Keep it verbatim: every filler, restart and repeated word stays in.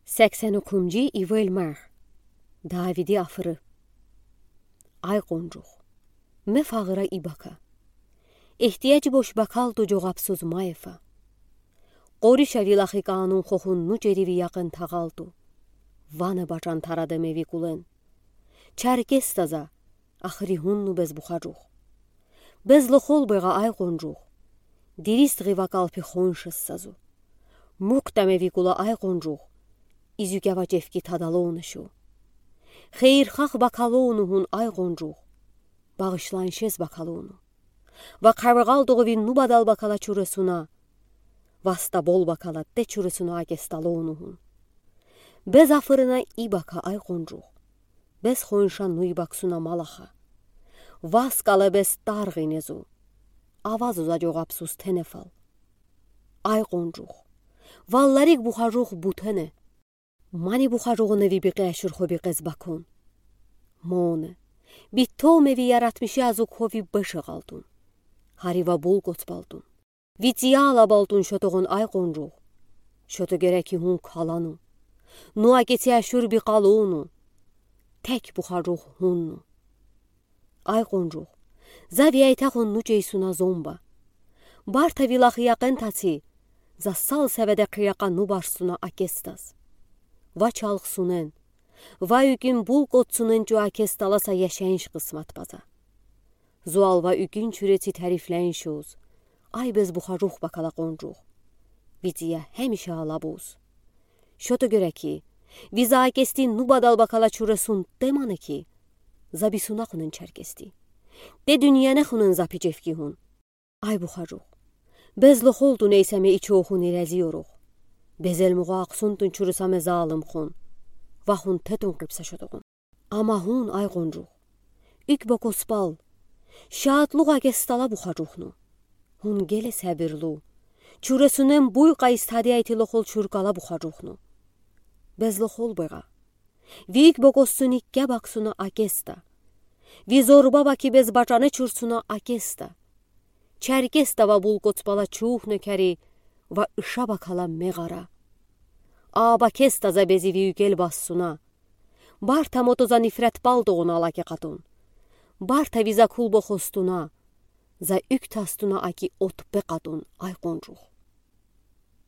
Сексен укхунжи ивель марх. Давиди афыры. Ай къонжух, ме фагъыра ибака. Эҳтияж бош бакалду, жоғапсуз ма ефа. Къориша ви лахи кӀанун хохун нуджери ви якъин тагъалту. Вана бачан тараде ме ви кулен. Чаркесда за, ахыри гьунну бес бухажух. Безло холбега, ай къонжух. Диристгъи вакал пи хоншес сазу. Мукта ме ви кула, ай къонжух. Изюкява чевки тадалону шу. Хейирхах бакалону гьун, ай къонжух. Багъишланшес бакалону. Ва къаргъалдугъу ви нубадал бакала чуресуна. Васта бол бакала те чуресуна акесталону гьун. Без афырына ибака, ай къонжух. Без хонша нуй баксуна малаха. Вас кала без таргъи незу. Авазу за жоғапсуз тенефал. Ай къонжух. Валларик бухажух бутене. Мани бухажугъуна ви бикъе ашур хо бикъез бакун. Моне. Битто ме ви яратмиши азук хо ви бешегалдун. Хари ва бул коцбалдун. Ви цияла балдун шотогъун, ай къонжух. Шото гереки гьун калану. Ну акеци ашур бикъалуну. Тек бухажух гьунну. Ай къонжух. За ви айтахун нуджейсуна зомба. Барта ви лахи якъин таци. За сал севеде къияка нубарсуна акестаз. Ва чалхсунен. Ва уькин бул коцсунен чу акесталаса яшенш къысмат паза. Зуал ва уькин чуреци тарифленшуз. Ай без бухажух бакала къонжух. Ви ция хемиша алабуз. Шото гереки, ви за акести нубадал бакала чуресун темане ки, за бисуна хунен чаркести. Те дуьньяне хунен за пи чевки гьун. Ай бухажух. Безло холдун эйса ме ичо хуни рази орух. Безел мугъа ахсунтун чуруса ме залым хун. Ва хун тетун къипса шотогъун. Ама гьун, ай къонжух. Уьк бокоспал. Шатлугъа акестала бухажух ну. Гьун геле сабирлу. Чуресунен буй къайыстади айтилохол чуркала бухажух ну. Безло холбега. Ви уьк бокоссуни кябаксуна акеста. Ви зорба баки без бачане чурсуна акеста. Чаркеста ва бул коцбала чух некери ва иша бакала мегъара. Аба кеста за бези ви уькел бассуна. Барта мото за нифрет палдугъуна алаке къатун. Барта ви за кулбо хостуна. За уьк тастуна аки от пе къатун, ай къонжух.